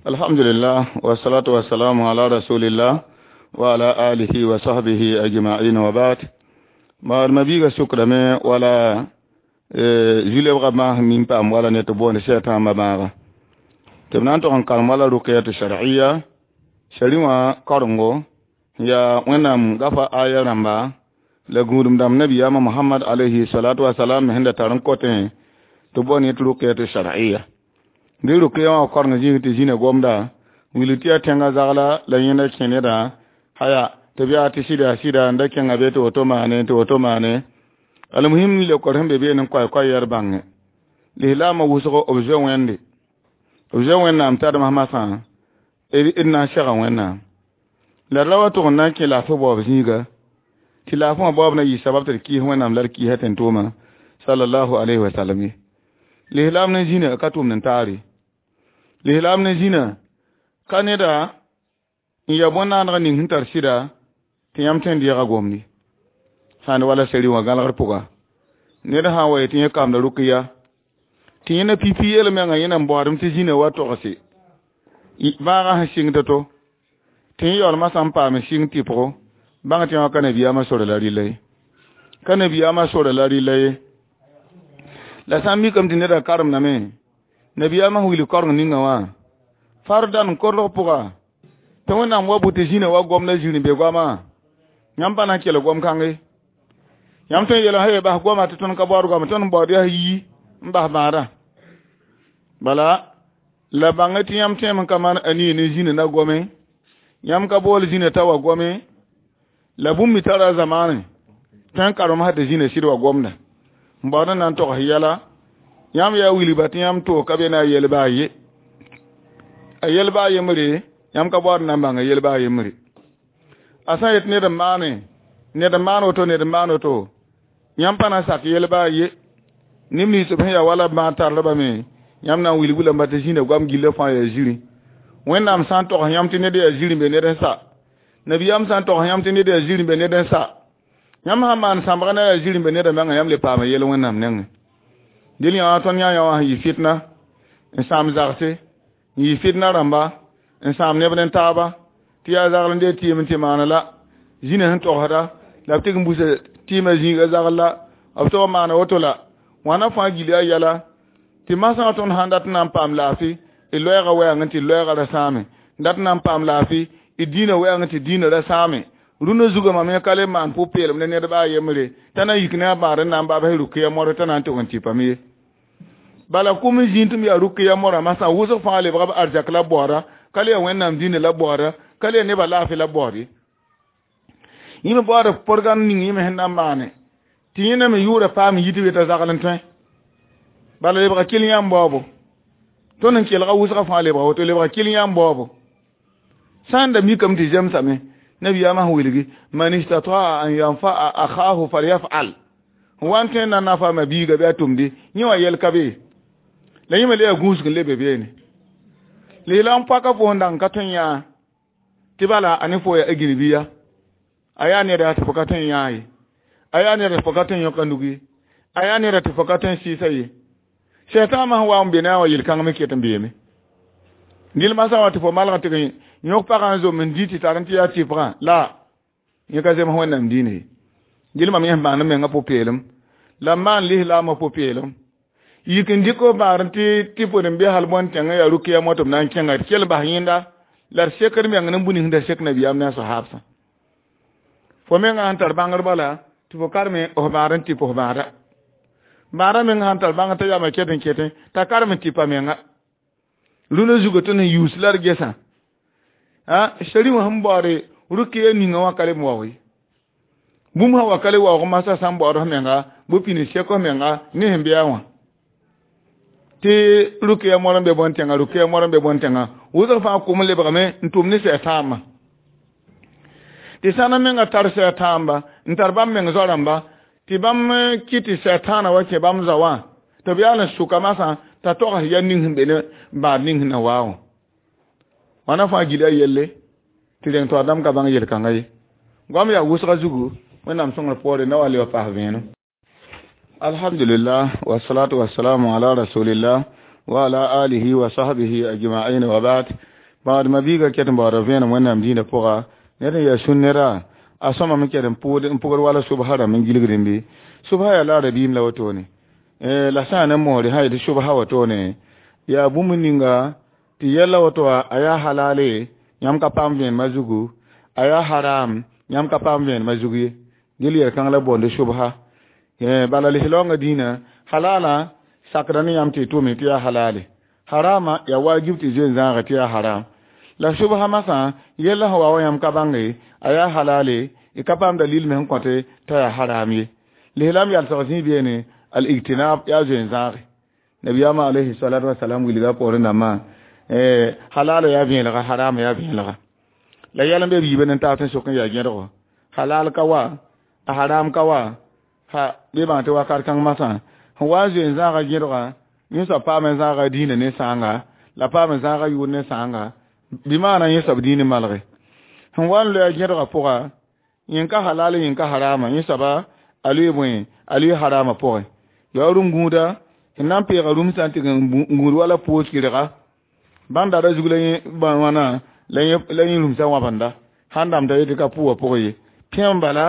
Alhamdulillah wassalatu wassalamu ala rasulillah wa ala alihi wa sahbihi ajma'in wa ba'd. Ma biiga sukrame wala zulebga maas min paam wala ne tɩ boond sɛtãambã bãaga tɩ b na n tog n karem wala rʋkɩyat shar'iyya shari wã karengo yaa wẽnnaam gafa aya rãmba la gũudum dãmb nabiyaamã Muhammad alayhi salatu wasalam me sẽn da tar n kotẽ tɩ boond yẽ tɩ rʋkɩyat shar'iyya dɩ rʋkɩya wã koreng zĩig tɩ zĩna gomda wilg tɩ yaa tẽngã zagla la yẽnda kẽ nedã haya tɩ b yaa tɩ sɩda sɩda n da kẽnga be tɩ woto maane tɩ woto maane almuhim leokor sẽn be beene n koay-koay yaa d bãnge lislaamã wʋsgo b zoe wẽnde b zoe wẽnnaam tadmã masã d na n sega wẽnnaam la d ra wa tʋg n na n kẽ laafɩ baoob zĩiga tɩ laafɩ wã baoob na yɩ sabab tɩ d kɩɩs wẽnnaam la d kɩɩsa tẽn-tʋʋmã sallallahu alayhi wa sallam ye lislaam ne zĩna ka tʋmd n taare lislaam ne zĩna ka neda n ya bõn-naaneg ning sẽn tar sɩda tɩ yãmb tõe n deega gomdi sãn wala seri wã gãlgr pʋga ned sã n wa yetɩ yẽ kamda rʋkɩya tɩ yẽna pipi yel menga yẽna n baoodem tɩ zĩna wa togse bãagã sẽn sɩng to-to tɩ yẽ yaoolmã sã n paam sɩng tɩpgo bãng tɩ wã ka nabiyaamã sora la rɩla ye ka nabiyaamã sora la rɩla ye la sã n mikame tɩ neda karemdame nabiyaamã sẽn wilg koreng ninga wã fardan korg pʋga tɩ wẽnnaam wa bʋ tɩ zĩna wa gomda zĩr n be goamã yãmb pa na n kell gom-kãnge yãmb tõe n yeelame sã bas goama tɩ tõnd ka baood goama tõnd n baood yaa yi n bas bãadã bala la bãng tɩ yãmb tõeme n ka maan a nie ne zĩna na gome yãmb ka bool zĩna t'a wa gome la bũmb me tara zamaane tõe n karem sã tɩ zĩna sɩd wa gomda n baood n na n togs yɛla yãmb yaa wilgba tɩ yãmb toog ka be na a yel baa ye a yel baa yembre yãmb ka baood n na n bãng a yel baa yembre a sã n yet ned n maane ned n maan woto ned n maan woto yãmb pa na n sak yel baa ye neb nins b sẽn yaa wala b bãag tarlbame yãmb na n wilg lamba tɩ zĩna goam gillã fãa yaa zĩrĩ wẽnnaam sã n togs yãmb tɩ ned yaa zĩr n be ned n sa nabiyaam sã n togs yãmb tɩ ned yaa zĩr n be ned n sa yãmb sã n maan sãmbga na yaa zĩr n be ned menga yãmb le paama yel wẽnnaam nengẽ dɩl yã wã tõnd yã yã wã sẽn yɩ fitna n sãam zagse n yɩ fitna rãmba n sãam neb ne taaba tɩ yaa zagl n dee tɩɩm n tɩ maana la zĩna sẽn togsda la b tɩg n busa tɩɩmã zĩiga zagl la b tog n maana woto la wãna fãa gil yaa yɛla tɩ masã wã tõnd sãn dat n na n paam laafɩ d loɛɛgã wɛɛngẽ tɩ loɛɛgã ra sãame dat n na n paam laafɩ d dĩinã wɛɛngẽ tɩ dĩinã ra sãame rũnã zugã mam yẽ ka le maan pʋ-peelem ne ned baa yembre t'a na yik ne a bãad n na n babs rʋkɩya mor t'a na n tʋg n tɩpame ye bala kʋm n zĩig tɩ m yaa rʋkɩya morã masã wʋsg fãa lebga b arzɛk la b baooda ka le yaa wẽnnaam dĩinã la b baooda ka le yaa nebã laafɩ la b baood ye yẽ me baood porgãnd ning yẽ me sẽn na n maane tɩ yẽna me yʋʋra paam n yit be t'a zagl n tõe bala lebga kɩl yãmb baoobo tõnd n kelga wʋsgã fãa lebga woto lebga kɩl yãmb baoobo sã n da mikame tɩ zemsame nabiyaamã sẽn wilgi man istataa an yanfaa akhahu falyafal n wa n tõe n na n nafa ma biiga bɩ a tʋmde yẽ wã yɛl ka be la yẽ me le yaa gũusg n lebe beene lislaam paka fo sẽn dag n ka tõe n yãa tɩ bala a ne fo yaa a gĩrbiya a yaa neda tɩ fo ka tõe n yãa ye a yaa neda tɩ fo ka tõe n yõka nug ye a yaa neda tɩ fo ka tõe n sɩɩsa ye sɛtãamã sẽn wa n be ne a wã yel-kãng me ket n beeme dɩl masã wã tɩ fo malg tɩ yõk pagã n zom n dĩ tɩ tar n tɩ yaa tɩpgã la yẽ ka zems wẽnnaam diinã ye dɩl mam yẽ sẽn bãng menga pʋ-peelem la m maan lislaamã pʋ-peelem yik n dɩk f bãad tɩ tɩ pod n be hal bõn-tẽngã yaa rʋkɩya mot b na n kẽnga d kell bas yẽnda la d sekd meng ne bũmb ning sẽn da sek nabiyaam ne a sahaabsã fo mengã sẽn tar bãngr bala tɩ fo karme f bãad n tɩp f bãada bãadã meng sãn tar bãngr t'a yama ket n ketẽ t'a karem n tɩpa menga rũnã zugã tõnd sẽn yuus la d gesã sari wã sẽn baoode rʋkɩya ninga wã ka le n waoog ye bũmb sã wa ka le waoog masã sã n baood f menga bɩ pĩnd sek f menga ne sẽn be a wã tɩ rʋkɩya mor n be bõn-tẽngã rʋkɩya mor n be bõn-tẽngã wʋsg fãa kʋm lebgame n tʋm ne sɛ-tãambã tɩ sãna menga tar sɛ-tãamba n tar bãmb meng zoa-rãmba tɩ bãmb kɩ tɩ sɛ-tãana wa kẽ bãmb zao wã tɩ b yaal n sʋka masã t'a togs ya ning sẽn be ne bãad ning sẽn na waa wã wãna fãa gila yelle tɩ reng tɩ dãmb ka bãng yel-kãngã ye goam yaa wʋsga zugu wẽnnaam sõngr poore na wa le wa paas vẽenem alhamdulillah wassalatu wassalamu ala rasulillah wa ala alihi wa sahbihi ajma'in wa ba'd. Bãad mabiiga ket n baooda vẽenem Wẽnnaam dĩinã pʋga ned n yaa sũ-neda a sõmame ket n pʋgd wala subsa rãmb n gilgdẽ bɩ subsa yaa la rabiim la wotone la sã n ne moore sã yetɩ subsa wotone yaa bũmb ninga tɩ yɛla woto a yaa halale yãmb ka paam vẽenemã zugu a yaa haram yãmb ka paam vẽenemã zug ye gil yɛl-kãng la boonde subsa bala lislaoongã dĩinã halala sakda ne yãmb tɩ y tʋme tɩ yaa halale harama yaa wajib tɩ zoe n zãage tɩ yaa haram la subsa masã yella sẽn wa wa yãmb ka bãnge a yaa halale y ka paam dalil me sẽn kõte t'a yaa haram ye lislaam yalsg zĩ beene al ijtinab yaa zoe n zãage nabiyaamã alayhi salatu wasalam wilga poorẽ dãmbã halala yaa vẽelega harama yaa vẽelega la yɛl n be b yiibã ne taab tɩ sok n yaa gẽdgo halal ka wa a haram ka wa ha bɩ bãng tɩ wakat kãng masã sẽn wa n zoe n zãaga gẽdga yẽ soab paam n zãaga dĩinã ne sãanga la paam n zãaga yʋʋr ne sãanga bɩ maana yẽ soab dĩin malge sẽn wa n loa gẽdgã pʋga yẽn ka halal yẽn ka harama yẽ soaba a loe bõe a loe harama pʋgẽ yaa rũm gũuda sẽn na n peega rũmsã n tɩg n gũud wala poos kɩrga bãmb dara zug la yẽ wãna la yẽ rũmsã wãbenda sãn dãmda yetɩ ka pʋʋgã pʋgẽ ye pẽem bala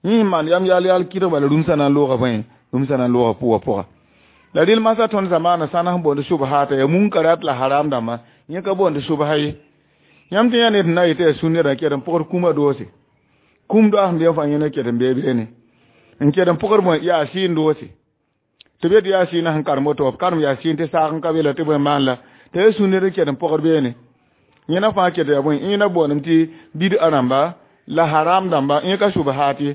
yẽ maan yam yal yal kɩrg bala rũmsã na n looga bõe rũmsã na n looga pʋʋgã pʋga la rɩl masã tõnd zamaana sãna sẽn boond subhaata yaa munkarat la haram dãmba yẽ ka boond subha ye yãmb tɩ yã ned na yetɩ yaa sũ-nedã ket n pʋgd kũmã doose kũm doa sẽn be fãa yẽna ket n bee beene n ket n pʋgd bõe yaa sɩɩn doose tɩ be tɩ yaa sɩɩnã sẽn karem woto b karem yaa sɩɩn tɩ saag n ka be la tɩ bõe maan la tɩ yaa sũ-ned n ket n pʋgd beene yẽna fãa ket yaa bõe yẽna boondem tɩ bid'a rãmba la haram dãmba yẽ ka subhaat ye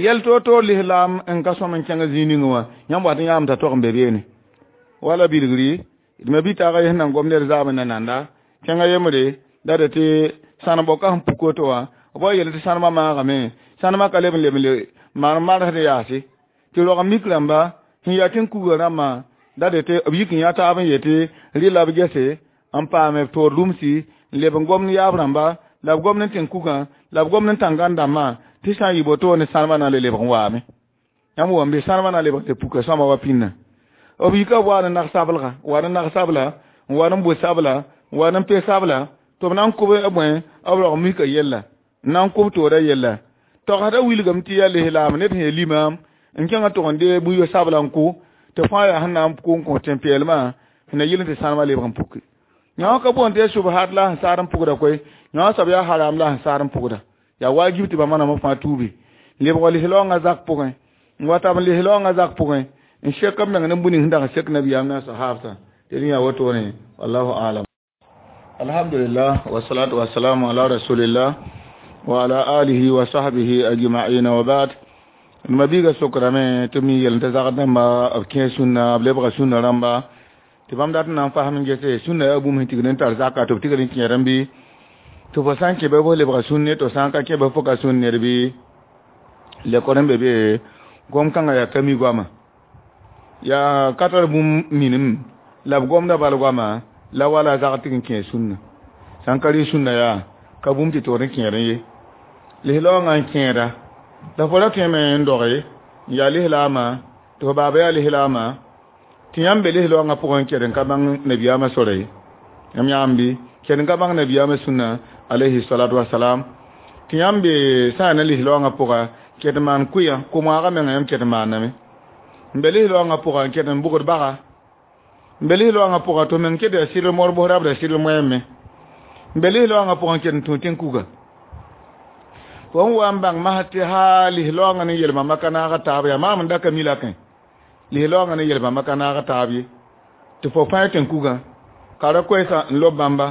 yɛl toor-toor lislaam n ka sõm n kẽng zĩig ningẽ wã yãmb wat n yãam t'a tog n be beene wala bilgri d me bɩ-taaga yes nan gom ned zaam n na nanda kẽngã yembre la d tɩ sãnem-bɔka sẽn puk woto wã b wa yel tɩ sãnemã maagame sãnemã ka leb n leb n le maan marsd yaase tɩ rog n mik rãmba sẽn yaa tɩ n kuga rãmbã la d tɩ b yik n yã taab n yetɩ rɩ la b gese n paame b toor rũmsi n leb n gomd yaab rãmba la b gomd n tɩ n kugã la b gomd n tãngan dãmbã tɩ sã n yɩ botoone sãnemã na n le lebg n waame yãmb wãmbe sãnemã na n lebg le puka sõama wa pĩnna b yika b waa ne nag-sablga wa ne nag-sabla n wa ne bʋ-sabla n wa ne pe-sabla tɩ b na n kʋb bõe b rog mika yella n na n kʋb toorã yella togsdã wilgame tɩ yaa lislaam ned sẽn yaa limaam n kẽngã tʋg n dee bũn-yo-sabla n kʋ tɩ fãa yaa sẽn na n kʋ n kõ tẽn-peelmã sẽn na yɩl tɩ sãnemã lebg n puke yã ka boond tɩ yaa subhat la sẽn saad n pʋgda koe yã soab yaa haram la sẽn saad n pʋgda yaa wajib tɩ bãmba nambã fãa tuubi lebg lislaoongã zak pʋgẽ n wa tab n lislaoongã zak pʋgẽ n sek b meng ne bũ ning sẽn dag n sek nabiyaam na sahabsã tɩ rẽ yaa wotone wallahu alam. Alhamdulillah wassalatu wassalamu ala rasulillah wa ala alihi wa sahbihi ajma'in wa ba'd. Mabiiga sokrame tɩ mi yel tɩ zagd dãmba b kẽ sũnna b lebga sũnna rãmba tɩ bãmb dat n na n fasem n gese sũnna yaa bũmb sẽn tigd n tar zaka tɩ b tigd n kẽerẽ bɩ tɩ fo sã n kẽ bɩ fo lebga sũnne tɩ sã n ka kẽ bɩ fo ka sũn ned bɩ lekor n be be gom kãngã yaa ka mi goama yaa ka tar bũmb minim la b gomda bal goama la wala zag tɩg n kẽ sũnna sã n ka rɩ sũnna yaa ka bũmb tɩ toor n kẽerẽ ye lislaoongã n kẽeda la fo ra tõeme n doge n yaa lislaamã tɩ fo baaba yaa lislaamã tɩ yãmb be lislaoongã pʋgẽ kɛd n ka bãng nabiyaamã sora ye yãmb yãamb bɩ kɛd n ka bãng nabiyaamã sũnna alayhi salatu wasalam tɩ yãmb be sã n yaa ne lislaoongã pʋga kɛd n maan kʋyã ko-moagã mengã yãmb kɛd n maaname n be lislaoongã pʋga n kɛd n bʋgd baga n be lislaoongã pʋga tɩ meng kɛd yaa sɩdl mor bʋsrab la sɩdl moɛɛme n be lislaoongã pʋgẽ n kɛd n tũ tẽn-kuga fo n wa n bãng masd tɩ haa lislaoongã ne yel-bãmba ka naag taab yaa maam n da ka mi lakẽ lislaoongã ne yel-bãmba ka naag taab ye tɩ fo fãa tẽn-kugã ka ra koɛɛsã n lob bãmba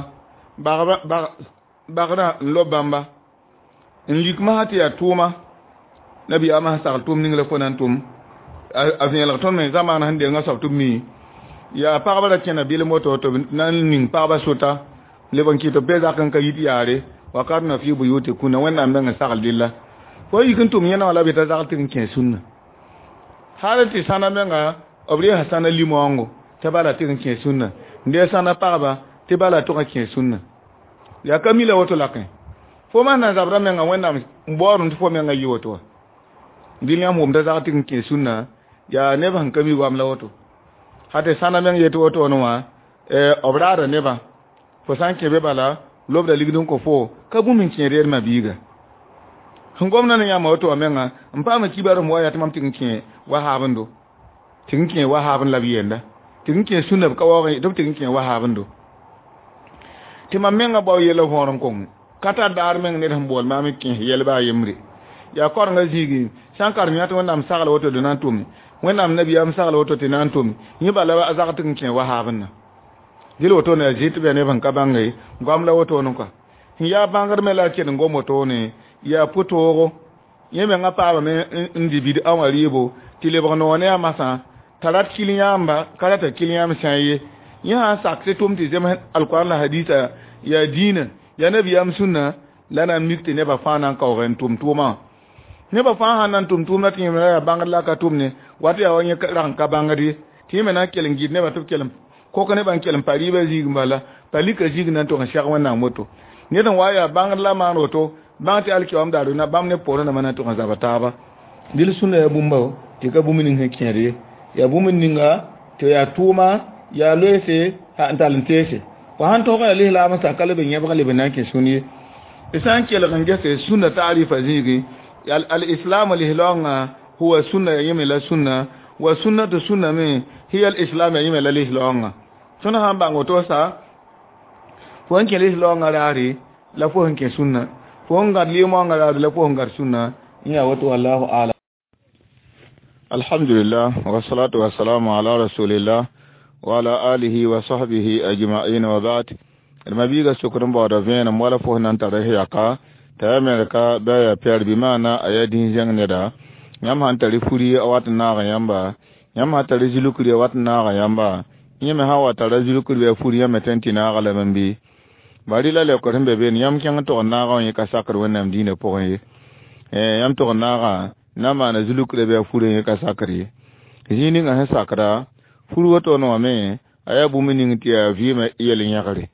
bagrã n lob bãmba n lik masã tɩ yaa tʋʋma nabiyaamã sẽn sagl tʋʋm ning la fo na n tʋm a vẽelg tõnd me zamaana sẽn dengã soab tɩ b mi yaa pagba ra kẽna bɩlem woto tɩ b na n ning pagba sʋta leb n kɩt b be zak n ka yit yaare wakarna fi buyutikunna Wẽnnaam meng n sagl dɩlla fo yik n tʋm yẽna wã la b yeta zagl tɩ n kẽ sũnna hal tɩ sãna menga b reesa sãna limoango tɩ bala tɩ n kẽ sũnna n dee sãna pagba tɩ bala tʋg n kẽ sũnna yaa ka mi la woto lakẽ fo mas na zabra menga Wẽnnaam n baoodẽ tɩ fo menga yɩ woto wã dɩl yãmb wʋmda zagl tɩ n kẽ sũnna yaa neb sẽn ka mi goam la woto ha tɩ sãna meng yetɩ wotone wã b raada nebã Fo sã n kẽ be bala lobda ligd n kõ fo ka bũmb n kẽed d ma-biiga sẽn gomda ne yãmb woto wã menga n paam kibar sẽn wa yaa tɩ mam tɩg n kẽ wahaabendo tɩg n kẽ wahaabend la b yenda tɩg n kẽ sũnna b ka waoog tɩ b tɩg n kẽ wahaabendo tɩ mam menga bao yella võor n kong ka tar daar meng ned sẽn bool maam n kẽes yɛl baa yembre yaa korenga zĩigi sã n karem yã tɩ wẽnnaam sagla woto tɩ na n tʋme wẽnnaam nabiyaam sagla woto tɩ na n tʋme yẽ bala a zag tɩg n kẽ wahaabendã dɩl wotone a zɩ tɩ bɩ neb sẽn ka bãnge goam la wotone kɔa sẽn yaa bãngd me la a kell n gom wotone yaa pʋtoogo yẽ mengã paamame n dɩ bid-a wã rɩɩbo tɩ lebg noog ne a masã t'a rat kil yãamba ka rata kil yãmb sã ye yẽ sã n sak tɩ tʋm tɩ zems alkoran la hadisa yaa dĩinã yaa nabiyaam sũnna la na n mik tɩ nebã fãa na n kaoog n tʋm tʋʋmã wã nebã fãa sãn na n tʋm tʋʋmda tɩ yẽmra yaa bãngd la a ka tʋm ne wat yaa wa yẽ rag n ka bãngd ye tɩ yẽ me na n kell n gɩd nebã tɩ b kell kok nebã n kell n pa rɩɩbã zĩig bala pa lika zĩig na n tog n sɛg wẽnnaam woto ned n wa yaa bãngd la maan woto bãng tɩ alkiyoam daar na bãmb ne poorẽ dãmbã na n tog n zaba taaba dɩl sũnna yaa bũmba tɩ ka bũmb ning sẽn kẽed ye yaa bũmb ninga tɩ yaa tʋʋma yaa loeese n tall n teese fo sãn tog yaa lislaam n sa ka leb n yẽbg leb n na n kẽ sũn ye d sã n kelg n gese sũnna taarifa zĩigi al-islam lislaongã huwa sunna ya yẽme la sũnna wa sunnatu sũnna me hiya al-islam ya yẽme la lislaongã tõnd sã n bãng woto sa fo n kẽ lislaongã raare la fo sẽn kẽ sũnna fo n gãd lɩɩmoangã raare la fo sẽn gãd sũnna n yaa woto wallahu alam. Alhamdulillah wassalatu wassalamu ala rasulillah wa ala alihi wa sahbihi ajma'in wa ba'd. Ma-biiga sokd n baooda vẽenem wala fo sẽn na n tara yaka t'a yaa merka bɩ a yaa pɛɛr bɩ maana a yaa dĩn-zẽng neda yãmb sãn tari furi a wat n naag yãmba yãmb sãn tari zulkri a wat n naag yãmba yẽ me sã wa tara zulkri bɩ a furi yãmb me tõe n tɩ naaga lame n bɩ bari la leokr sẽn be beene yãmb kẽng n tog n naagã wã yẽ ka sakr wẽnnaam dĩinã pʋgẽ ye yãmb tog n naagã na n maana zulkra bɩ a furã yẽ ka sakr ye zĩig ninga sẽn sakda fur wotone wã me a yaa bũmb ning tɩ yaa vɩɩmã yel-yẽgre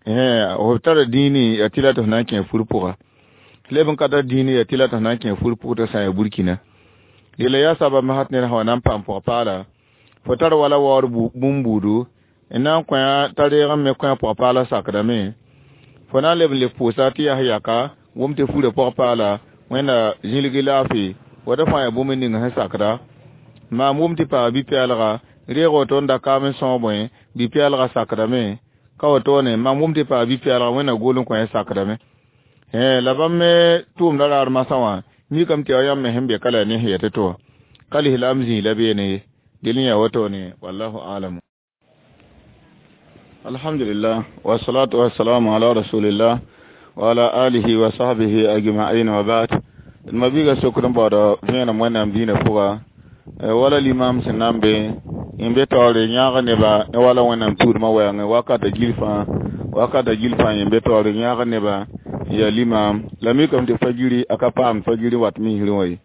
f tara dĩini yaa tɩ la tɩ f na n kẽ fur pʋga leb n ka tar dĩini yaa tɩ la tɩ f na n kẽ fur pʋg tɩ sã yaa burkina yella yaa sabab masat ned sã wa na n paam pʋg-paala fo tar wala waoor bũmb buudu n na n kõ t'a reeg n me kõ a pʋg-paala sakdame fo na n leb n le pʋʋsa tɩ yaa yaka wʋm tɩ furã pʋg-paala wẽnna zĩlgi laafɩ wata fãa yaa bũmb ning sẽn sakda maam wʋm tɩ paa bi-pɛɛlga reeg woto n da kaam n sõog bõe bi-pɛɛlga sakdame ka wotone mam wʋm tɩ paa bi-pɛɛlga wẽnna gol n kõ yã sakdame la bãmb me tʋʋmda raar masã wã mikame tɩ yaa yãmb me sẽn be ka la ne sẽn yetɩ tɩ wã ka lislaam zĩig la beene ye dɩl n yaa wotone wallahu alam. Alhamdulillah wassalatu wassalamu ala rasulillah wa ala alihi wa sahbihi ajma'in wa ba'd. Ma-biiga sokd n baooda vẽenem wẽnnaam dĩinã pʋga wala limam sẽn na n be n be taoore yãag neba wala wẽnnaam tuudmã wɛɛngẽ wakata gil fãa wakata gil fãa yẽ be taoore yãag neba n yaa limam la mikame tɩ fagiri a ka paam fagiri wat misrẽ wã ye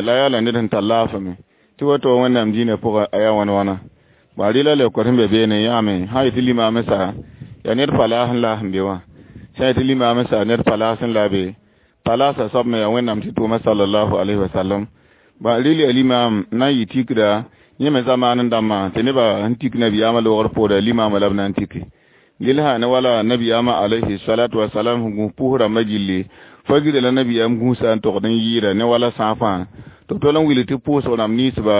la yaa la ned sẽn tar laafame tɩ woto wẽnnaam dĩinã pʋga a yaa wãn wãna ba rɩla leokr sẽn be beene yãame sã yetɩ limaam sa yaa ned palaas n la sẽn be wã sã yetɩ limaam sa ned palaas n la be palaasa soab me yaa wẽnnaam tɩ tʋʋma sallallahu alaihi wasallam ba rɩl yaa limaam na n yɩ tikda yẽ me zamaan n dãmbã tɩ nebã sẽn tik nabiyaamã loogr poora limaamã la b na n tiki lel sã ne wala nabiyaamã alayhi salatu wasalam sẽn gũus pʋʋs rãmbã gilli fagira la nabiyaam gũusa n togd n yɩɩda ne wala sãafã tɩ b tol n wil tɩ pʋʋsg rãmb ninsba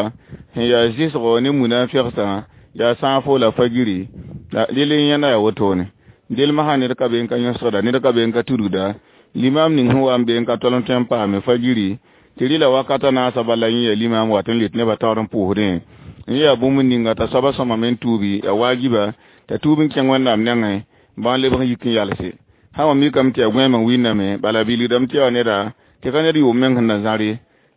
sẽn yaa zɩsgo ne munafigsã yaa sãafo la fagiri la rel n yẽnda yaa wotone del masã ned ka be n ka yõsgda ned ka be n ka tudgda limam ning sẽn wa n be n ka tol n tõe n paame fagiri tɩ rɩla wakata naasã bala yẽ yaa limam wat n let nebã taoor n pʋʋsdẽ n yaa bũmb ninga t'a soaba sõmame n tuubi yaa waajiba t'a tuub n kẽng wẽnnaam nengẽ bã n lebg n yik n yalse sã wã mikame tɩ yaa gõeem n wĩnname bala bilgdame tɩ yaa neda tɩ ka ned yʋʋm meng sẽn na zãr ye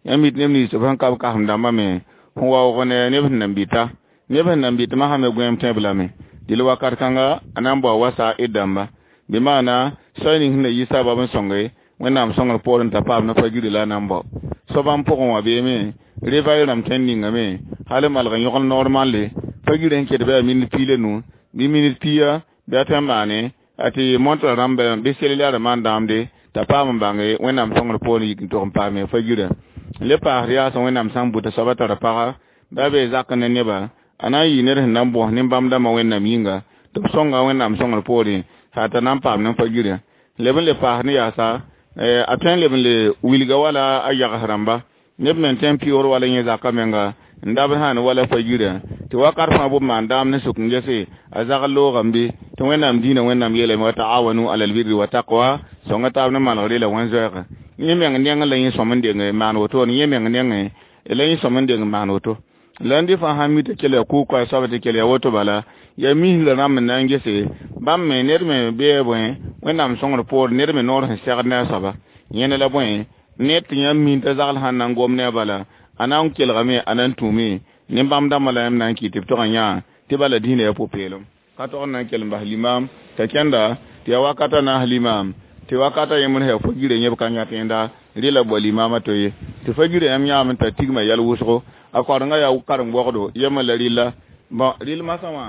yãmb yit neb nins b sẽn ka b kasem dãmbã me sẽn waoog ne neb sẽn nan bɩta neb sẽn nan bɩt masã me gõeem tẽeb lame dɩl wakat kãnga a na n bao wasa d dãmba bɩ maana soay ning sẽn na yi sabab n sõnge wẽnnaam sõngr poorẽ t'a paam ne fagiri la a na n bao soaba n pʋgẽ wã beeme revay rãmb tõe n ningame hal n malg n yõgl normalle fagiri sẽn ket bɩ yaa minit piig la nu bɩ minit pia bɩ a tõe n maane a tɩ montrã rãmb bɩ selila maan dãamde t'a paam n bãnge wẽnnaam sõngr poorẽ yik n tog n paame fagirã n le paasd yaasẽ wẽnnaam sã n buta soaba tara paga bɩ a bee zak ne neba a na n yɩ ned sẽn na n bõs nin-bãmb dãmbã wẽnnaam yĩnga Tɩ b sõnga Wẽnnaam sõngr poorẽ sã t'a na n paam ne fa-girã leb n le paas ne yaasa a tõe n leb n le wilga wala a yags rãmba neb me n tõe n pɩʋʋr wala yẽ zakã menga n dabd sã ne wala fa-girã tɩ wakat fãa bʋ maan daam ne sʋk n gese a zagl loogame bɩ tɩ Wẽnnaam dĩinã Wẽnnaam yeelame wa taawanu alal birri wa taqwa sõnga taab ne manegre la wẽn-zoɛɛga yẽ meng nengẽ la yẽ sõm n deng maan woto yẽ meng nengẽ la yẽ sõm n deng maan woto la n dɩ fãa sãn mi tɩ kell ya kʋʋg soaba tɩ kell ya woto bala ya misra rãmb n na n gese bãmb me ned me bee bõe Wẽnnaam sõngr poor ned me noor sẽn segd ne a soaba yẽne la bõe ned tɩ yãmb min t'a zagl sãn na n gom ne a bala a na n kelgame a na n tũme ne-bãmb dãmbã la yãmb na n kɩ tɩ b tog n yã tɩ bala dĩinã yaa pʋ-peelem ka tog n na n kell n bas limam t'a kẽnda tɩ yaa wakata naas limam tɩ wakata yẽmd sã yaa fa-girã yẽb ka yã tẽnda rɩla bao limamã to ye tɩ fa-girã yãmb yãame t'a tigma yɛl wʋsgo a koarengã yaa karen-bogdo yemã la rɩlla bõn rɩl masã wã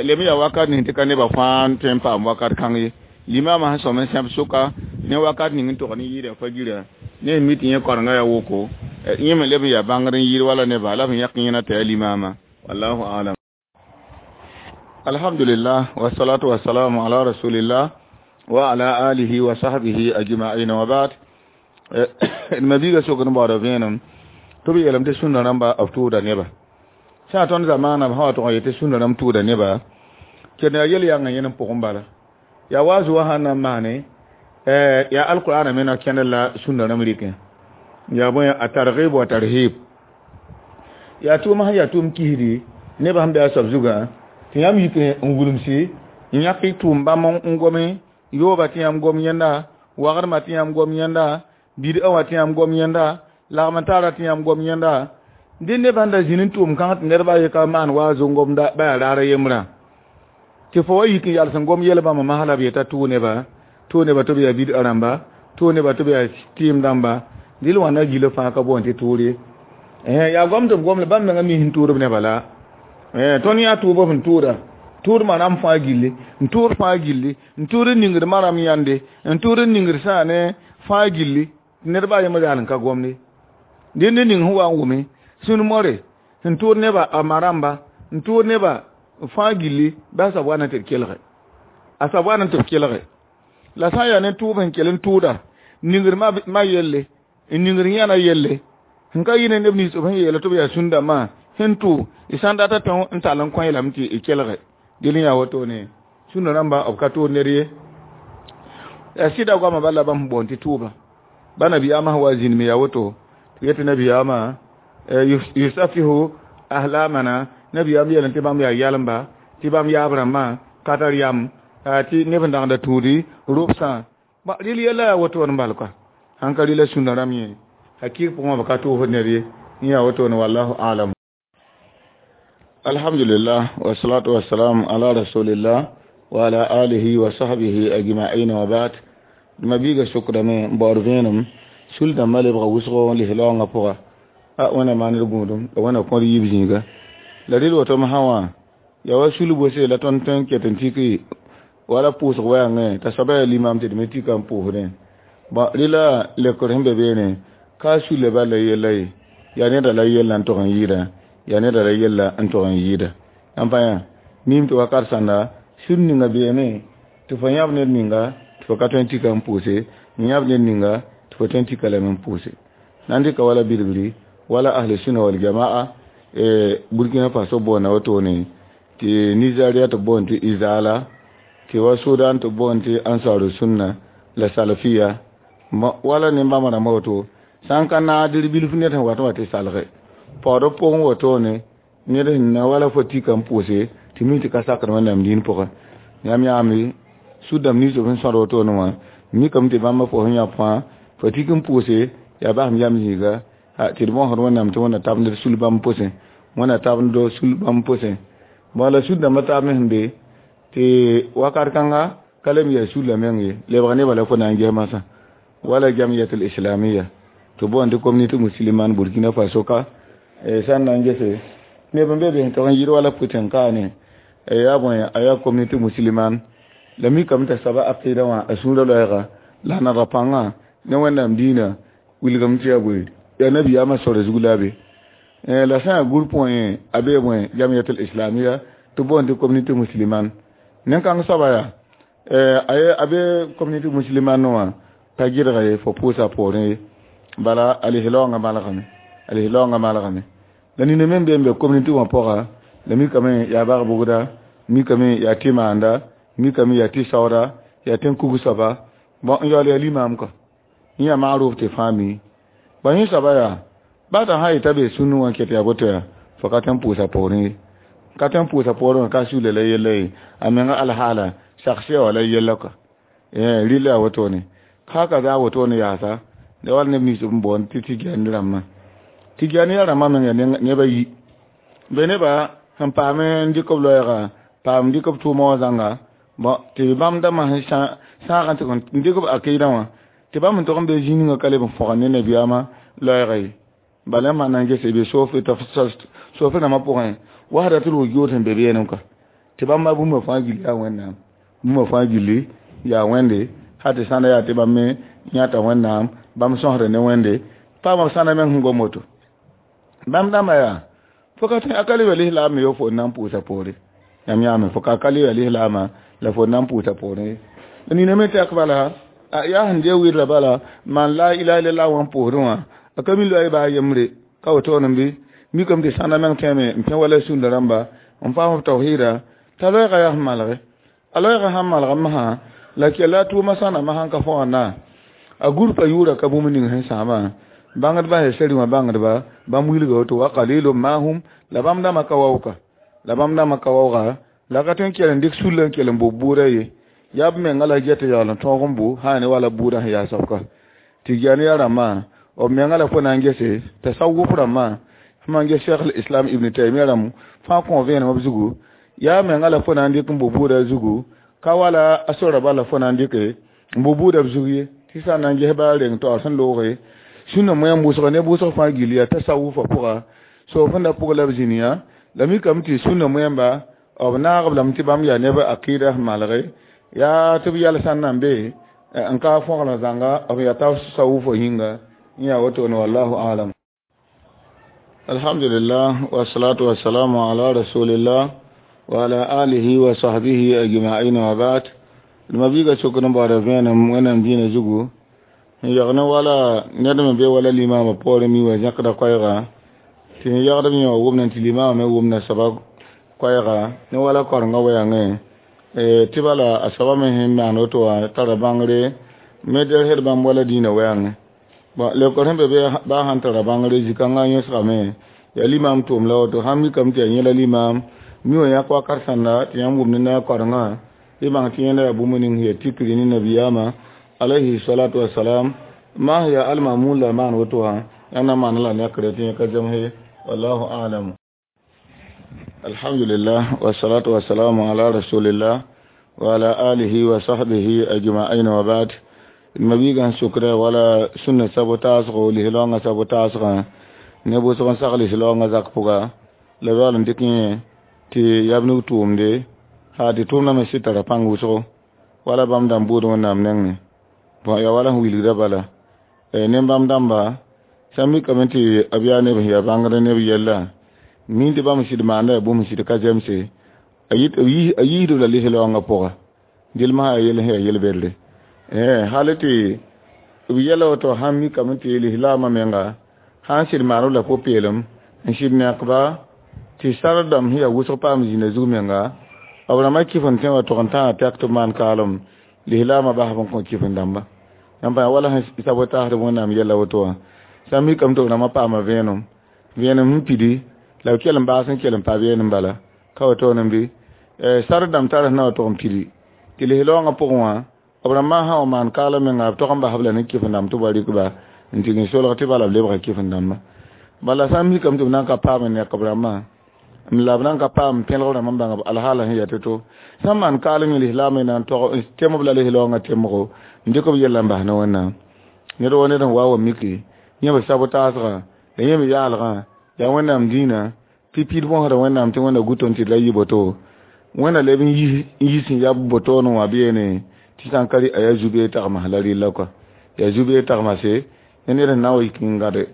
lem yaa wakat ning tɩ ka nebã fãa n tõe n paam wakat kãng ye limamã sẽn sõm n sẽb sʋka ne wakat ning n tog ne yɩɩda fa-girã ne mi tɩ yẽ koarengã yaa woko yẽ me leb n yaa bãngr n yɩɩd wala neba la b yãk yẽna t'a yaa limama wallahu alam. Alhamdulillah wassalatu wassalamu ala rasulillah wa ala alihi wa sahbihi ajma'in wa ba'd. Ma biiga sokd n baooda vẽenem tɩ b yeelame tɩ sũnda rãmba b tʋʋda neba sã tõnd zamaanã b sã wa tʋg n yetɩ sũnda rãmb tʋʋda neba ked yaa yel-yãngã yẽnem pʋgẽ bala yaa waazu wã sãn na n maane yaa alqur'ana me na kẽnd la sũnda rãmb rɩkẽ yaa bõe a targib wa tarhib yaa tʋʋm sẽn yaa tʋʋm kisdi nebã sẽn be a soab zugã tɩ yãmb yik n wulmsi n yãk tʋʋm bãmb n gome yooba tɩ yãmb gom yẽnda wagdmã tɩ yãmb gom yẽnda bid'a wã tɩ yãmb gom yẽnda lagm n taara tɩ yãmb gom yẽnda dẽ nebã n da zĩnd n tʋʋm kãng tɩ nedbã ye ka maan waazo n gomda ba yaa raar yembrã tɩ fo wa yik n yals n gom yɛl bãmba masla b yeta tʋʋ neba tɩ b yaa bid'a rãmba tʋʋ neba tɩ b yaa tɩɩm dãmba dɩl wãnda gilã fãa ka boond tɩ tʋʋr ye yaa gom tɩ b gom la bãmb menga mi sẽn tʋʋd b nebã la tõnd yaa tʋʋb sẽn tʋʋda tʋʋd maram fãa gilli n tʋʋd fãa gilli n tʋʋd n ningd maram yãnde n tʋʋd n ningd sãane fãa gilli nedbã yembr yaal n ka gomde dẽnd ning sẽn wa n wʋme sũn more sẽn tʋʋd neba a maramba n tʋʋd neba fãa gilli bɩ a soab wa na tɩ d kelge a soab wa na tɩ b kelge la sã n yaa ne tʋʋb sẽn kell n tʋʋda ningr ma yelle n ningr yãna yelle sẽn ka yɩ ne neb nins b sẽn yeela tɩ b yaa sũn-dãmbã sẽn tʋ y sã n data tõ n tall n kõ lame tɩ y kelge dɩl n yaa wotone sũnda rãmba b ka tʋʋd ned ye yaa sɩda goamã bala bãmb sẽn boond tɩ tʋʋba ba nabiyaamã sẽn wa zĩnd me yaa woto tɩ yetɩ nabiyaamã yusafihu ahlamana nabiyaam yeelame tɩ bãmb yaa yalmba tɩ bãmb yaab rãmbã ka tar yam tɩ neb n dãgda tũudi robsã rɩl yɛla yaa wotone n bal koa sãn ka rɩla sũnda rãmb yẽ hakɩɩg pʋgẽ b ka tʋʋsd ned ye n yaa wotone wallahu alam. Alhamdulillah wassalatu wassalam ala rasulillah wa ala alihi wa sahbihi ajma'in wa ba'd. Ma biiga sʋkdame n baood vẽenem sul dãmbã lebga wʋsgo n lis laoongã pʋga a wẽna maand gũudum la wẽna kõd yiib zĩiga la rɩl woto sã wã yaa wa sul bose la tõnd tõe n ket n tiki wala pʋʋsg wɛɛngẽ t'a soaba yaa limam tɩ d me tika n pʋʋsdẽ bõn rɩla lekr sẽn be beene ka sulle bal la yella ye yaa neda la yella n tog n yɩɩda yaa neda la yella n tog n yɩɩda ãn pa yã mim tɩ wakat sãnda sũr ninga beeme tɩ fo yãb ned ninga tɩ fo ka tõe n tika n pʋʋse n yãb ned ninga tɩ fo tõe n tika lame n pʋʋse na n dɩka wala bilgri wala ahli sunna wal jamaa Burkina Faso boona wotone tɩ Nigeria tɩ boond tɩ Izala tɩ wa Sudan tɩ boond tɩ Ansaru Sunna la Salafiya wala ne-bãmba rãmbã woto sã n ka naadr bilf ned sẽn wat n wa tɩ salge paood pʋgẽ wotone ned sẽn na wala fo tika n pʋʋse tɩ mi tɩ ka sakd Wẽnnaam dĩin pʋgẽ yãmb yãame sũ-dãmb nins b sẽn sõd wotone wã mikame tɩ bãmba fo sẽn yã fãa fo tik n pʋʋse yaa basem yam zĩiga tɩ d bõosd Wẽnnaam tɩ Wẽnna tabnd d sul bãmb pʋsẽ Wẽnna tabnd sul bãmb pʋsẽ bõe la sũ-dãmbã taab me sẽn be tɩ wakat kãnga ka lem yaa sulla meng ye lebg nebã la fo na n ges masã wala jamiyatul islamia tɩ boond tɩ communauté musulmane Burkina Faso ka sã n na n gese neb n be be sẽn tog n yɩɩd wala pʋtẽ kaane yaa bõe a yaa communauté musulmane la mikame t'a soaba aqɩɩda wã a sũurã loɛɛga la a nadg pãngã ne Wẽnnaam dĩinã wilgame tɩ yaa bõe yaa nabiyaamã sore zug la a be la sã n yaa groupe wã yẽ a bee bõe jamiyatul islamia tɩ boond tɩ communauté musulmane Nen-kãng soaba yaa a be communauté musulmane wã pa gɩdga ye fo pʋʋsa poorẽ ye. Bala a lislaoongã malgame, a lislaoongã malgame. La nina me n be n be communauté wã pʋga, la mikame yaa bag-bʋgda, mikame yaa tɩ maanda, mikame yaa tɩ saooda, yaa tẽn-kug soaba, bõn n yaool yaa limaam kɔ. Yẽ yaa maarʋf tɩ fãa mi. Ba yẽ soaba yaa ba t'a sã yeta be sũnnu wã n ket yaa boto yaa fo ka tõe n pʋʋsa poorẽ ye. Ka tõe n pʋʋsa poorẽ wã ka suula la yella ye, a menga alhaala sagsɩya wã la yella kɔ. Rɩla yaa wotone. Ka za wotone yaasa, la wala neb nins b boond tɩ Tɩgyan rãmbã. Tɩgyan rãmbã meng yaa neb a yi. Be nebã sẽn paam n dɩk b loɛɛga, paam n dɩk b tʋʋma wã zãnga, bõn tɩ bãmb dãmbã sẽn sãag n tɩ n dɩk b akɩɩdã wã, tɩ bãmb sẽn tog n be zĩig ninga ka leb n fõgd ne nabiyaamã loɛɛga ye. Bala yãmb sã na n gese be soofɩ rãmbã pʋgẽ, wahdatul wujud sẽn be beenem kɔ. Tɩ bãmba bũmba fãa gilli yaa Wẽnnaam. Bũmba fãa gilli yaa Wẽnde, hal tɩ sãnda yaa tɩ bãmb me yãta Wẽnnaam, bãmb sõsda ne Wẽnde, paama b sãnda meng sẽn gom woto. Bãmb dãmbã yaa, fo ka tõe a ka le ya lislaam me yo fo n na n pʋʋsa poore. Yãmb yãame fo ka le ya lislaamã la fo n na n pʋʋsa poorẽ ye. La nina me tɛk bala, yaa sẽn dee wɩdra bala, maan la ilaha illallah wã n pʋʋsdẽ wã, a ka mi loɛɛ baa yembre, ka wotone bɩ, mikame tɩ sãnda meng tõeme n pẽ wala sũnda rãmba, n paam b tawhiida, t'a loɛɛga yaa sẽn malge. A loɛɛga sãn malg masã, la kella a tʋʋma sãna masã n ka fõgd a gũrpa yʋʋra ka bũmb ning sẽn sãamã. Bãngdbã sẽn seri wã bãngdba, bãmb wilga woto wa qalilun ma hum, la bãmb dãmbã ka waooka. La bãmb dãmbã ka waooga, la ka tõe n kell n dɩk sulla n kell n bʋ bʋʋda ye. Yaa b menga la get yaool n tõog n bʋ, sã ne wala bʋʋdã sẽn yaa soabka. Tɩ yaa rãmbã, b menga la fo na n gese, tasawuf rãmbã, sẽn maan ges Cheikh Islam Ibn Taymiya rãmb fãa kõ vẽenem b zugu, yaa menga la fo na n dɩk n bʋ bʋʋda zugu, ka wala a sora bala fo na n dɩke n bʋ bʋʋda b zug ye. Tɩ sã n na n ges baa reng taoor sẽn looge, sũnna moɛɛm wʋsga ne wʋsg fãa gill yaa tasawufã pʋga, sof sẽn da pʋg la b zĩniyã, la mikame tɩ sũnna moɛɛmba, b naag b lame tɩ bãmb yaa neb akɩɩda sẽn malge, yaa tɩ b yɛl sãn na n be n ka fõgl zãnga, b yaa tasawufã yĩnga, yẽ yaa wotone wallahu alam. Alhamdulillah, wassalatu wassalamu ala rasulillah wa ala alihi wa sahbihi ajma'in wa ba'd. Mabiga sokr n baoora vẽenem Wẽnnaam dĩinã zugu, n yag ne wala ned me be wala limaamã poorẽ mi wã zẽkda koɛɛga, tɩ n yagd b yẽ wã wʋmna tɩ limaamã me wʋmna soaba koɛɛga ne wala korengã wɛɛngẽ, tɩ bala a soaba me sẽn maan woto wã tara bãngre me delsd bãmb wala dĩinã wɛɛngẽ. Bon, leokr sẽn be baa sãn tara bãngre zĩ-kãngã yõsgame, yaa limaam tʋʋm la woto, sãn mikame tɩ yaa yẽla limaam, mi wã yãk wakat sãnda tɩ yãmb wʋmd ne a korengã, y bãng tɩ yẽnda yaa bũmb ning sẽn yaa tikri ne nabiyaamã alayhi salatu wassalam, maa sẽn yaa almamun la maan woto wã, yãmb na maan la nekre tɩ yẽ ka zemse, wallahu a'lam. Alhamdulillah, wassalatu wassalamu ala rasulillah wa ala alihi wa sahbihi ajma'in wa ba'd. Mabiigã sʋkra wala sũnna sabo taasgo, lislaoongã sabo taasgã, ne wʋsg n sag lislaoongã zak pʋga, la yaool n dɩk yẽ tɩ yab nug tʋʋmde, haa tɩ tʋʋmdã me sɩd tara pãng wʋsgo, wala bãmb dãmb buud Wẽnnaam nengẽ. Bõn yaa wala sẽn wilgdã bala. Ne bãmb dãmba, sã n mikame tɩ b yaa neb sẽn yaa bãngd neb yella, min tɩ bãmb sɩd maanda yaa bũmb sɩd ka zemse, a yiisd la lislaoongã pʋga. Dɩl masã yaa yell sẽn yaa yel-bedre. Hal tɩ b yɛla woto sãn mikame tɩ lislaamã menga, sã n sɩd maan b la pʋ-peelem, n sɩd nekba, tɩ sar dãmb sẽn yaa wʋsg paam zĩnã zug menga, b rãmbã kɩf n tẽ wã tog n tãa tɛk tɩ b maan kaalem, lislaamã basb n kõ kɩf n dãmba. Yãmb pa wala sẽn sabotaasd Wẽnnaam yɛla woto wã, sã n mikame tɩ b rãmbã paama vẽenem, vẽenem sẽn pidi, la b kell n baas n kell n pa vẽenem bala, ka wotone bɩ, sar dãmb tar sẽn na wa tog n pidi, tɩ lislaoongã pʋgẽ wã, b rãmbã sã n maan kaalem menga, b tog n basb la ne kɩf n dãmb tɩ b wa rɩk ba, n tɩg n solg tɩ bala b lebga kɩf n dãmba. Bala sã n mikame tɩ b na n ka paam n nek b rãmbã, la b na n ka paam pẽlg rãmb n bãng b alhaala sẽn yaa to-to, sã n maan kaalem yẽ lislaamã na n tog temb la lislaoongã temgo, n dɩk b yella n bas ne Wẽnnaam. Ned wa ned n wa wa miki, yẽ b sabo taasgã, la yẽ me yaalgã, yaa Wẽnnaam dĩinã, pipiid bõsda Wẽnnaam tɩ Wẽnna gut n tɩ la yɩ boto. Wẽnna leb n yis n yab botoone wã beene, tɩ sã n ka rɩ a yaa zu-beee tagms la rɩlla kɔa. Yaa zu-beee tagmase, ne ned sẽn na n wa yik n gãd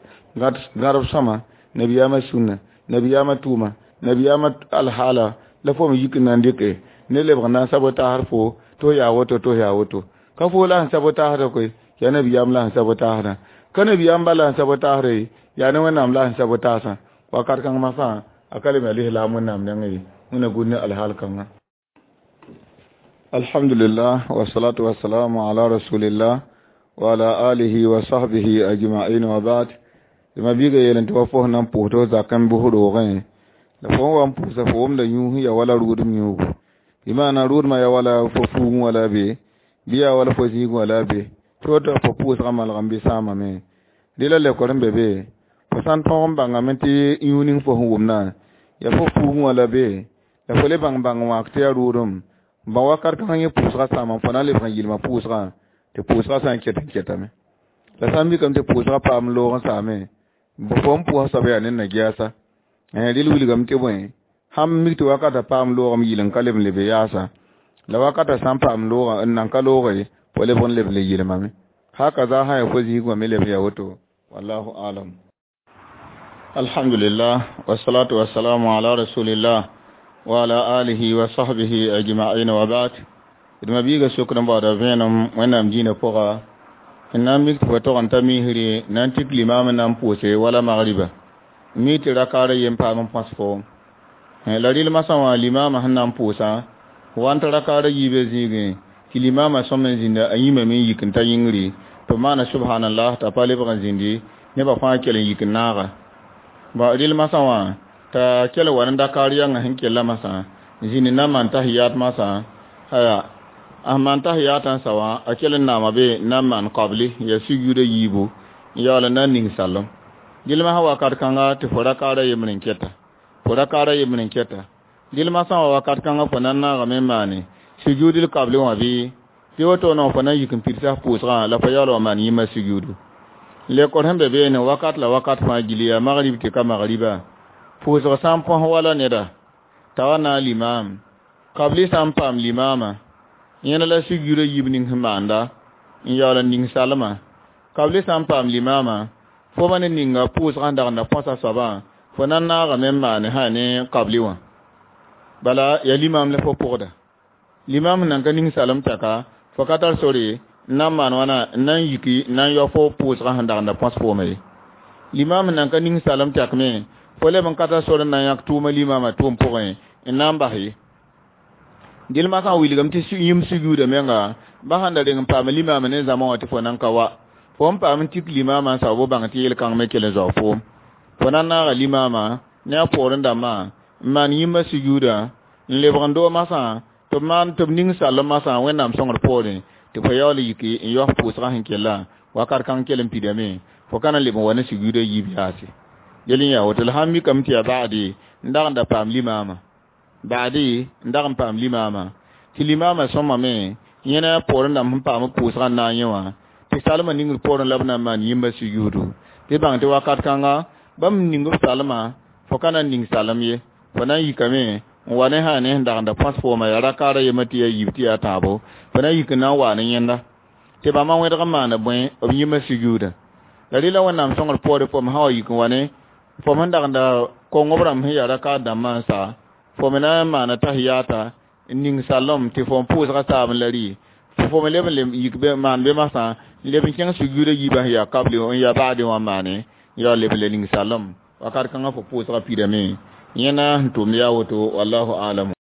gãdb sõma, nabiyaamã sũnna, nabiyaamã tʋʋma, nabiyaamã alhaala, la fo me yik n na n dɩke Ne lebg n na n sabotaasd fo tɩ f yaa woto tɩ f yaa woto ka fo la sẽn sabotaasda koe yaa nabiyaam la sẽn sabotaasdã ka nabiyaam bala sẽn sabotaasda ye yaa ne wẽnnaam la sẽn sabotaasã wakat kãng masã a ka lem yaa lislaam wẽnnaam nengẽ ye wẽnna gũud ne alhaal kãngã. Alhamdulillah wassalatu wassalamu ala rasulillah wa ala alihi wa sahbihi ajma'in wa ba'd. Tɩ ma biiga yeel tɩ wa fo sẽn na n pʋʋs tɩ f zakẽ bʋs roogẽ la fo n wa n pʋʋsa fo wʋmda yũus ya wala rʋʋdem yũugu bɩ maana rʋʋdmã ya wala fo fuugẽ wala be bɩ yaa wala fo zĩigẽ wala be tɩ woto fo pʋʋsgã malg n bɩ sãamame dɩ la lekor n be be fo sã n tõog n bãngame tɩ yũu ning fo sẽn wʋmdã ya fo fuugẽ wala be la fo le bãng bãng wãak tɩ yaa rʋʋdem n bãng wakat kãngã yẽ pʋʋsgã sãama fo na n lebg n yɩlma pʋʋsgã tɩ pʋʋsgã sã n ket n ketame la sã n mikame tɩ pʋʋsgã paam loog n saame fo n pʋʋsa soab yaa ne na-gɛɛsa rɩl wilgame tɩ bõe sãn mik tɩ wakata paam loogame yɩl n ka leb n lebe yaasa la wakata sã n paam loogã n nan ka looge fo leb n leb le yɩlmame haka za sã ya fo zĩig wã me leb ya woto wallahu alam. Alhamdulillah wassalatu wassalamu ala rasulillah wa ala alihi wa sahbihi ajma'in wa ba'd. D ma biiga sokd n baooda vẽenem wẽnnaam dĩinã pʋga n na n mik tɩ fo tog n ta misri na n tik limaam n na n pʋʋse wala magriba mi tɩ rakaara yen paam n põs foom la rɩl masã wã limaamã sẽn na n pʋʋsã wa n tɩ rakaara yiibã zĩigẽ tɩ limaamã sõm n zĩnda a yĩmame n yik n ta yĩngri tɩ b maana subhanallah t'a pa lebg n zĩndi nebã fãa kell n yik n naaga ba rɩl masã wã t'a kell wa ne dakaar yãngã sẽn kella masã zĩnd na n maan tahiyat masã aya a maan tahiyat n sa wã a kell n naama be n na n maan kabli ya sujuuda yiibu n yaool n na n ning sallem gilma sã wakat kãnga tɩ fo rakaara yembr n kɛta fo rakaara yembr n kɛta gilma sã wa wakat kãngã fo na n naagame n maane sujudl kabli wã bɩ tɩ woto no fo na n yik n pidsã pʋʋsgã la fo yaool wa maan yĩmã sujuudu lekor sẽn be beene wakat la wakat fãa gilli yaa magrib tɩ ka magriba pʋʋsg sã n põs wala neda t'a wa na limaam kabli sã n paam limaamã yẽna la sujuudã yib ning sẽn maanda n yaool n ning salmã kabli sã n paam limaamã fo ma ne ninga pʋʋsgã sẽn dagenda põsa soabã fo na n naagame n maane sã ne kabli wã bala yaa limaam la fo pʋgda limaam sẽn nan ka ning salem tɛka fo ka tar sore n na n maan wãna n na n yiki n na n yao fo pʋʋsgã sẽn dagenda põs fooma ye limaam sẽn nan ka ning salem tɛkme fo leb n ka tar sore n na n yãk tʋʋma limaamã tʋʋm pʋgẽ n na n bas ye gilma sã n wilgame tɩ yĩm sujuuda menga ba sãn da reng n paam limaamã ne zãma wã tɩ fo nan ka wa fo n paam n tik limaamã n sao bo bãng tɩ yel-kãng me kell n zao foom fo na n naaga limaamã ne a poorẽ dãmbã n maan yĩmbã sujuuda n lebg n doo masã tɩ b maan tɩ b ning sallem masã wẽnnaam sõngr poorẽ tɩ fo yaool yiki n yaos pʋʋsgã sẽn kella wakat kãng kell n pidame fo ka na n leb n wa ne sujuuda yiib yaase yel n yaa woto la sãn mikame tɩ yaa ba'ade n dag n da paam limaamã ba'ade n dag n paam limaamã tɩ limaamã sõmame yẽna poorẽ dãmb sẽn paam b pʋʋsgã n na n yẽ wã tɩ salmã ningr poorẽ la b na n maan yĩmbã sujuudu tɩ bãng tɩ wakat kãnga bãmb ning b salmã fo ka na n ning salem ye fo na n yikame n wa ne sã ne sẽn dagenda põs fooma yaa rakaara yembã tɩ yaa yiib tɩ yaa tãabo fo na n yik n na n waa ne yẽnda tɩ bãmba wẽdg n maana bõe b yĩmbã sujuuda la rɩla wẽnnaam sõngr poore fom sã wa yik n wa ne fom sẽn dagenda kongo b rãmb sẽn yaa rakaar dãmbã n sa fo me na n maana tahiyata n ning sallem tɩ fo n pʋʋsgã saam la rɩ fo me leb n leb yik be maan be masã n leb n kẽng sujuuda yiibã sẽn yaa kabli n yaa ba'ade wã maane n yaool leb n le ning sallem wakat kãngã fo pʋʋsgã pidame yẽna sẽn tʋmd yaa woto wallahu alam.